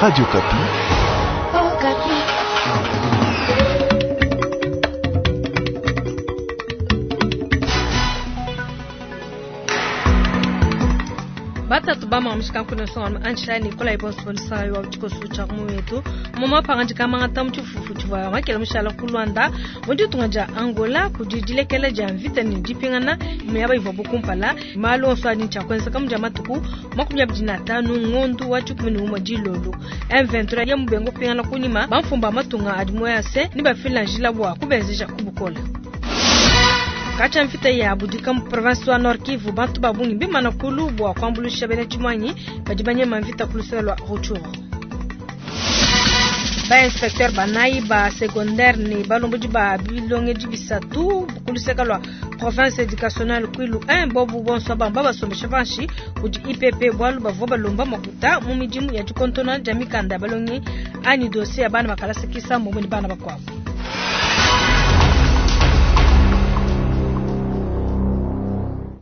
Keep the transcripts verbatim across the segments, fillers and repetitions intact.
Radio Okapi. Oh, Okapi. Batatu bamamishika nkuna songa anshila Nicolas Ibonso wa tshikoso tsha muwetu moma pangandika mangata mutshifufu tshivua makela mushala ku Luanda mu ditunga dia Angola kudi dilekela dia mvita ne dipingana miaba ivua bukumpala malu onso adi tshiakuenzeka mu dia matuku makumi abidi na atanu ngondu wa tshikumi ne umue dilolo M vingt-trois ya mubengo kupingana kunyima bamfumba matunga adi moyase ni bafila njila bua kubenzeja kubukola. Kacha mvita ya budika mu province wa Nord Kivu bantu babungi bimana kulu bua kuambulisha bena tshimanyi badi banyema mvita kulusela lwa Rutshuru. Ba inspecteur banayi ba secondaire ne balombodi ba bilongedi bisatu kuluseka lwa province éducationnelle Kwilu un bobu bonso bamba basombesha panshi kudi I P P bwalu bavua balomba makuta mu midimu ya dikontona dia mikanda ya balongi anyi dossier ya bana bakalasa kisambo mu bana bakuabu.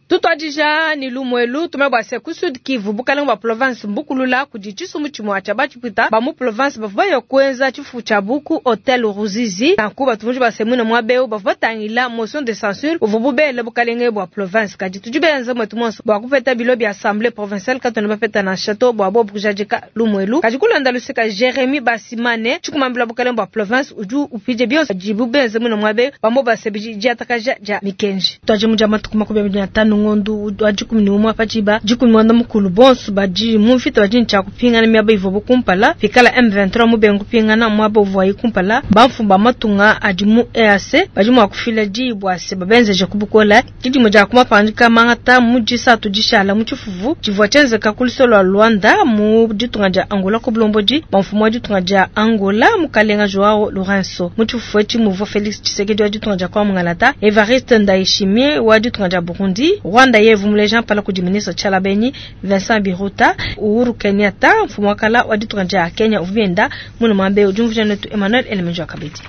Tutwadija ni lumwelu tumebwase ku Sud Kivu bukalenga bwa province mbukulula kudi tshisumu tshimwe tsha batshipwita ba mu province bavua baya kuenza tshifu tsha buku Hotel Ruzizi nanku batuvunji basemwina mwabeu bavua batangila motion de censure buvua bubele bukalenge bwa province kadi tudi benza mwetu monso bua kupeta bilo bya assemblée provinciale katona bapeta na château bwa bobu kujadika lumwelu kadi kulanda luseka Jeremy Basimane tshikumambila bukalenge bwa province uju upije bionso dibu benze mwina mwabeu bambo basebiji diatakaja dia mikenji twaje mu dia matuku makumi abidi na tano ngondu wa dikumi ne umwe patshiba dikumi mwanda mukulu bonso badi mu mvita badi ntshia kupingana miaba ivua bukumpala pikala M vingt-trois mubenga kupingana muaba uvuayi kumpala bamfumba matunga adi mu E A C badi mua kufila diyi bua se babenzeje kubukola didimo dia kumapandika mangata mu disatu dishala mu tshifufu tshivua tshienzeka ku lusolo lua Luanda mu ditunga dia Angola ku bulombodi bamfumu wa ditunga dia Angola mukalenga Joao Lourenço mu tshifufu etshi muvua Felix Tshisekedi wa ditunga dia kwa Mungalata Evariste Ndayishimiye wa ditunga dia Burundi Rwanda yevu muleja mpala kudi ministre Tshalabenyi Vincent Biruta Uhuru Kenyatta mfumu wa kala wa ditunga dia Kenya uvienda muno mwambe ujumvija netu Emmanuel Elemenjo Kabedi.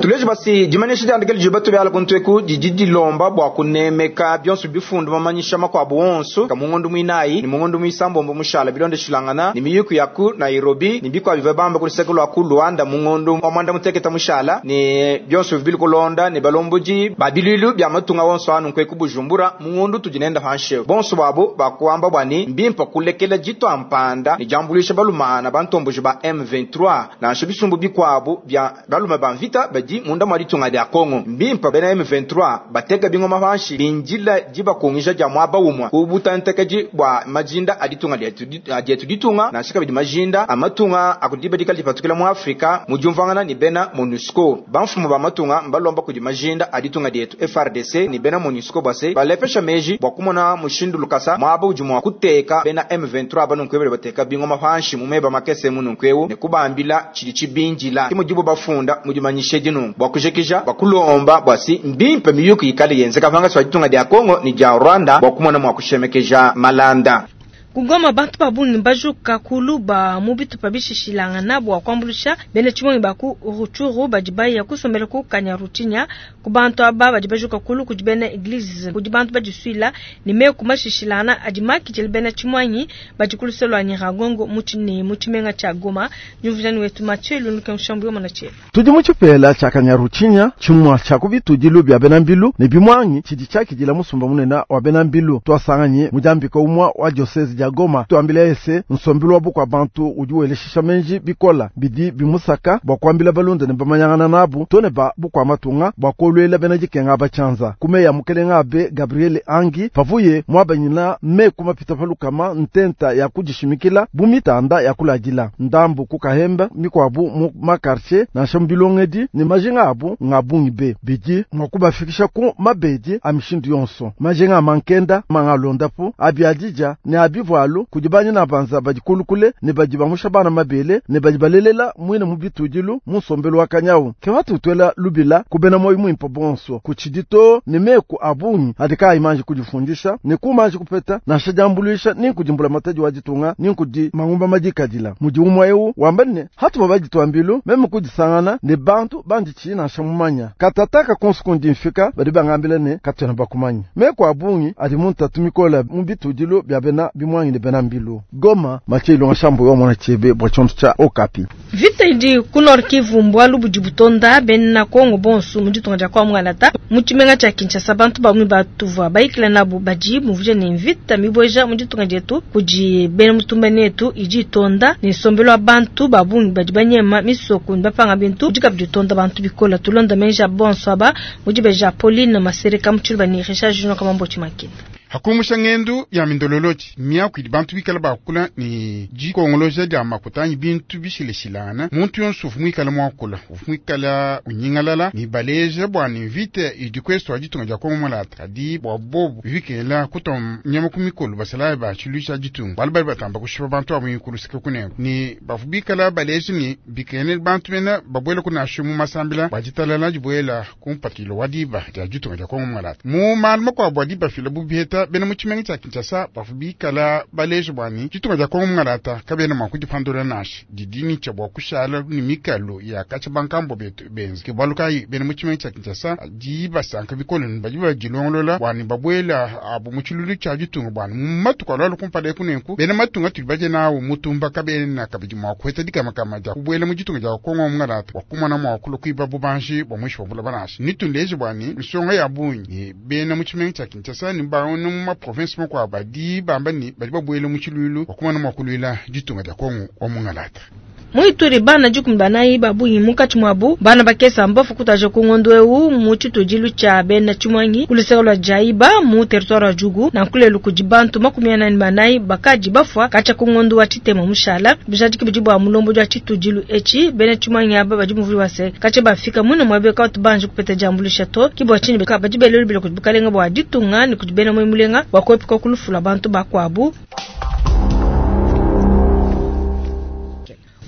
Tuleje basi dimanisha diandikele dibatu byala kuntweku didi dilomba bua kunemeka bionso bifundu mamanyisha makuabu onso kamungondo mwinayi ni mungondo mwisambombo mushala bilonde shilangana ni miyuku yaku Nairobi ni bikwa biva bamba kuliseko lwa ku Luanda mungondo wa mwanda muteketa mushala ni bionso bibili kulonda ni balomboji babilulu bya matunga wonso anu nkweku Bujumbura mungondo tujinenda hanshe bonso babo bakuamba bwani mbimpa kulekela jito ampanda ni jambulisha balumana bantomboji ba M vingt-trois na nsho bikwabu bya baluma banvita badi munda mwa ditunga dia Kongo mbimpa bena M vingt-trois bateka bingoma panshi binjila jibakungija dia mwaba umwa kubutantekeji bwa majinda aditunga dietu ditunga na shika bidi majinda amatunga akudibadika lipatukila mu Afrika mujumvangana ni bena MONUSCO bamfumu ba matunga mbalomba kudi majinda aditunga dietu F R D C ni bena MONUSCO base balepesha meji bwa kumona mushindu lukasa mwaba ujumwa kuteka bena M vingt-trois banunkwebele bateka bingoma panshi mumeba makese mununkwewu ne kubambila chili chibinjila kimujibu bafunda mujimanyishe dinu bwa kujekija bakulomba bwasi mbimpe miyuku ikale yenzeka vanga swa ditunga dia Kongo ni dia Rwanda bwa kumona mwa kushemekeja malanda. Kugoma bantu babungi bajuka kuluba mu bitupa bishishilangana bua kuambulisha bene tshimonyi baku Rutshuru badi baya kusombela ku Kanyaruchinya ku bantu aba badi bajuka kulu kudi bena eglise kudi bantu badisuila ne meku mashishilana adi makijele bena tshimonyi badi kuluselwa Nyiragongo mu tshine mu tshimenga tsha Goma nyuvujani wetu Mathieu Lunuke Nshambu yomona tshe tudi mu tshipela tsha Kanyaruchinya tshimwa tsha kubitudilu bya bena mbilu ne bimwangi tshidi tshakidila musumba munene wa bena mbilu twasanganye mujambika umwa wa diocese ya Goma tuambila ese nsombilu wa bukwa bantu udi weleshisha menji bikola bidi bimusaka bua kuambila balunda ne bamanyangana nabu tone ba bukwa matunga bua kolwela bena dikenga bachanza kumeya mukelenga abe Gabriel Angi pavuye mwabanyina meku mapita palukama ntenta ya kudishimikila bumitanda ya kuladila ndambu kukahemba mikwabu mu makartie na nshambilongedi ne majinga abu ngabungi be bidi mwakubafikisha ku mabedi amishindu yonso majinga mankenda mangalondapu abiadija ne abivu alu kudi banyina banza badi kulukule ne badi bamusha bana mabele ne badi balelela mwine mu bitudilu mu nsombelu wa kanyawu ke batutwela lubila kubena moyo mwimpe bonso kutshidito ne meku abungi adi kayi kudifundisha ne kumanji kupeta nansha diambuluisha ni nkudimbula matadi wa ditunga ni nkudi mangumba madikadila mudi umwa eu wamba ne hatu babaditwambilu meme kudisangana ne bantu banditshi nansha mumanya katataka konso kundi mfika badi bangambila ne katwena bakumanya meku abungi adi mu ntatu mikola mu bitudilu bya bena bimwangi. tshimuangi ne bena mbilu. Goma, Mathieu Ilunga Shambo wa mwana chebe bwa tshiondo tshia Okapi. Vita idi ku Nord Kivu mbwalu budi butonda bena Kongo bonso mu ditunga dia kwa Mwangalata mu tshimenga tshia Kinshasa. Bantu bamwe batuvua bayikila nabo badi muvuje ne mvita mibweja mu ditunga dietu kudi bena mutumba netu idi itonda ne nsombelu wa bantu babungi badi banyema misoko ne bapanga bintu bidi kabidi itonda bantu bikola. Tulonda menja bonso aba mudi beja Pauline Masereka mu tshiluba ne Richard Junior Kamambo Tshimakina. Hakumusha ngendu ya mindololoji miaku idi bantu bikala bakula ni dikongoloja dia makuta anyi bintu bishileshilana muntu yonso uvu muikala muakula uvu muikala unyingalala ni baleja bua ni mvita idi kwesu wa ditunga dia Kongo mulata kadi bua bobu bikela kutua nyama ku mikolo basalayi ba tshiluisha ditunga balu bali batamba kushipa bantu abo ikulusika kunengo ni bavu bikala baleja ni bikene bantu bena babuela kunashu mu masambila bua ditalala dibuela kumpatilo wa diba dia ditunga dia Kongo mulata mu malu makuabu adi bafila bubiheta bena mu tshimenga tshia Kinshasa bavu bikala baleja bua ni ditunga dia Kongo mungalata kabena mua kudipandula nashi didini tshia bua kushala ni mikalo ya katshia bankambo betu benza ke bualu kayi bena mu tshimenga tshia Kinshasa di basanka bikole ni badi badilongolola bua ni babuela abu mu tshilulu tshia ditunga bua ni mu matuku alua kumpala eku nenku bena matunga tudi badie nawu mutumba kabena kabidi mua kuheta dikamakama dia kubuela mu ditunga dia Kongo mungalata bua kumona mua kulua kuiba bubanji bua muinshi wa bulaba nashi nitundeje bua ni nsonga ya bungi ni bena mu tshimenga tshia Kinshasa ni baona mu ma province makuabu badi bamba ni badi babuela mu tshilulu bua kumona mua kuluila ditunga dia Kongo wa mungalata. Muituri bana dikumi banayi babungi munkatshi muabu bana bakesa mbafu kutaja ku ngondo eu mu tshitudilu tshia bena tshimuangi ku luseke lua Jaiba mu territoire wa Djugu na nkulelu kudi bantu makumi anani banayi bakadi bafua katshia ku ngondo wa tshitema mushala bijadiki bidi bua mulombo dia tshitudilu etshi bena tshimuangi aba badi muvuli wase katshia bafika mune muabe katu banje kupeta diambulisha to kibwa tshinyi beka badi belelu bile kudi bukalenga bua ditunga ne kudi bena mulenga bua kuepuka kulufula bantu bakuabu.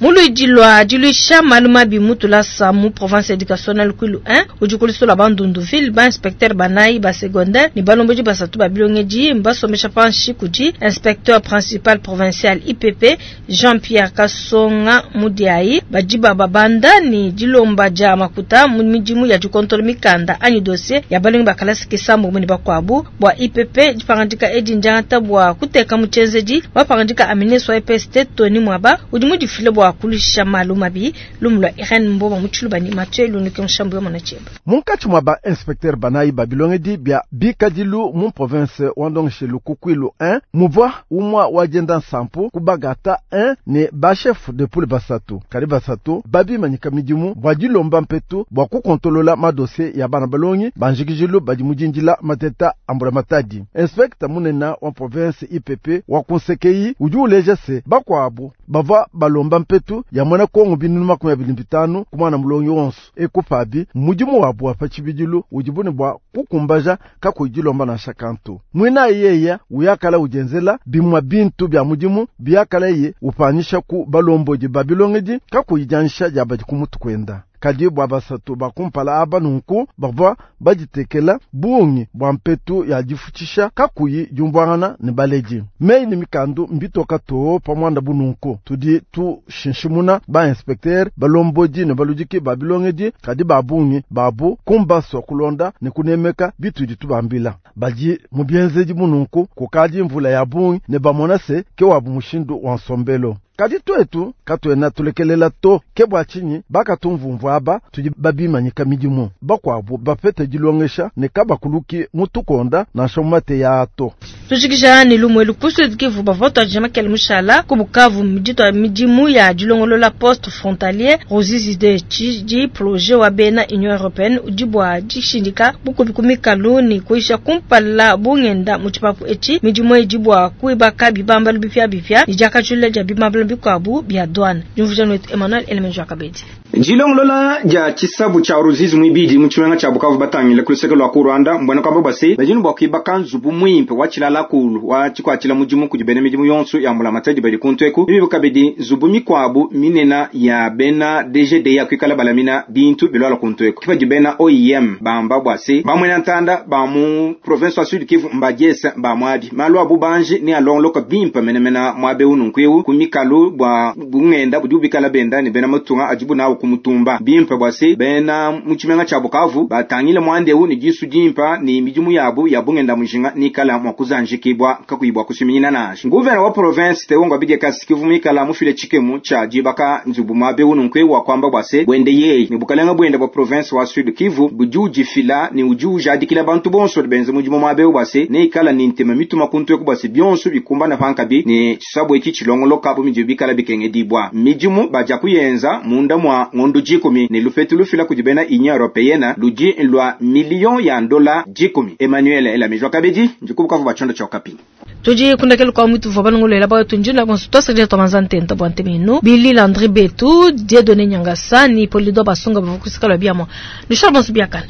Muluidi lwa diluisha malu mabi mutulasa mu province éducationnelle Kwilu un udi kulusula Bandundu ville ba inspecteur banayi ba secondaire ni balomboji basatu ba bilongedi mbasomesha panshi kudi inspecteur principal provincial I P P Jean-Pierre Kasonga Mudiayi badi babanda ni dilomba dia makuta mu midimu ya dikontola mikanda anyi dossier ya balongi bakalasi kisambu muni bakwabu bua I P P dipangandika edi ndiangata bua kuteka mu tshienzedi bapangandika amineso wa E P S T Tony Mwaba udi mudifile bua kulisha malu mabi lumulwa Irene Mboma mu tshiluba ni Mathieu Lunuke Nshambu ya Mwanacheba. Munkatshi mwa ba inspecteur banayi ba bilongedi bia bikadilu mu province wa Ndongeshe ku Kwilu un muvua umwa wa dienda nsampu ku Bagata un ne ba chef de poule basatu kadi basatu babimanyika midimu bua dilomba mpetu bua kukontolola madossier ya bana balongi banjikijilu badi mudindila mateta ambula matadi. Inspecteur munena wa province I P P wa kunsekeyi udi uleja se bakuabu bava balomba mpetu ya mwana Kongo binunu makumi abiri bitanu ku mwana mulongi wonso ekupabi mudimu wabu wa pa tshibidilu udi bune bua kukumbaja kakuyidilomba nansha kantu. Mwina yeya uyakala udenzela bimwa bintu bya mudimu biyakala ye upanyisha ku balombodi ba bilongedi kakuyidianyisha dia badi ku mutu kwenda. Kadi bua basatu bakumpala aba nunku bavua baditekela bungi bua mpetu ya difutshisha kakuyi diumvuangana ne baledi. Meyi ne mikandu mbitoka too pa muanda bununku tudi tushinshimuna ba inspecteur balombodi ne baludiki ba bilongedi kadi ba bungi babu kumbaswa kulonda ne kunemeka bitudi tubambila badi mu bienzedi mununku kukadi mvula ya bungi ne bamona se ke wabu mushindu wa nsombelo. Kadi twetu katuena tulekelela to ke bua tshinyi bakatumvumvu aba tudi babimanyika midimu bakuabu bapete dilongesha ne kabakuluki mutukonda nansha mu mateya ato. Tujikija ne lumwelu ku Sud Kivu bavua tuadija makele mushala ku Bukavu midito ya midimu ya dilongolola poste frontalier Ruzizi de tshidi projet wa bena Union Européenne udi bua dishindika bukubi ku mikalu ne kuisha kumpala bungenda mu tshipapu etshi midimu edi bua kuibaka bibambalu bipia bipia ne diakajulula dia bibambalu bikuabu bia douane. Diumvuija wetu Emmanuel Elemenjo Akabedi. Dilongolola dia tshisabu tshia Ruzizi mwibidi mu tshimenga tshia Bukavu batangile ku luseke lua ku Rwanda mbwena kwamba bwase badi ne bua kuibaka nzubu muimpe wa tshilala kulu wa tshikuatshila mudimu kudi bena midimu yonso ya mbulamatadi badi kuntu eku bibi kabidi nzubu mikuabu minena ya bena D G D ya kuikala balamina bintu bilwala kuntu eku kipadi bena O I M bamba bwase bamwena ntanda ba mu province wa Sud Kivu mbadiesa ba mwabi malu abu banji ne alongoloka bimpe menemena mwabe ununku ewu ku mikalu. Bualu bua bungenda budi bikala benda ne bena matunga adibu nawu ku mutumba. Bimpe bua se bena mu tshimenga tshia Bukavu batangile muanda eu ne disu dimpa ne midimu yabu ya bungenda mujinga nikala mua kuzanjikibwa kakuyi bua kusuminyina nansha. Nguvena wa province Theo Ngwabidye Kasi kivu mwikala mufile tshikemu tshia dibaka nzubu muabe ununkwe wa kwamba bua se bwende yeye ne bukalenga bwende bwa province wa Sud Kivu budi ujifila ne udi ujadikila bantu bonso benze mudimu muabe bua se neikala ne ntema mituma kuntu eku bua se bionso bikumbana pankabi ne tshisabu etshi tshilongoloka bu midi bikala bikengedibwa. Midimu badia kuyenza munda mwa ngondo dikumi ne lupetu lufila kudi bena Union Européenne ludi lwa million ya dola dikumi. Emmanuel Elamijwa Kabedi ndikubukavu bua tshiondo tshia Okapi. Tudi kundakela kwa mutu vwa balongolela bayo tunjina bonso twasakidila twamanza ntenta bua ntemenu Billy Landry Betu Dieudonné Nyangasa ni Polido Basunga bavua kusikala biamwa nushal bonso biakana.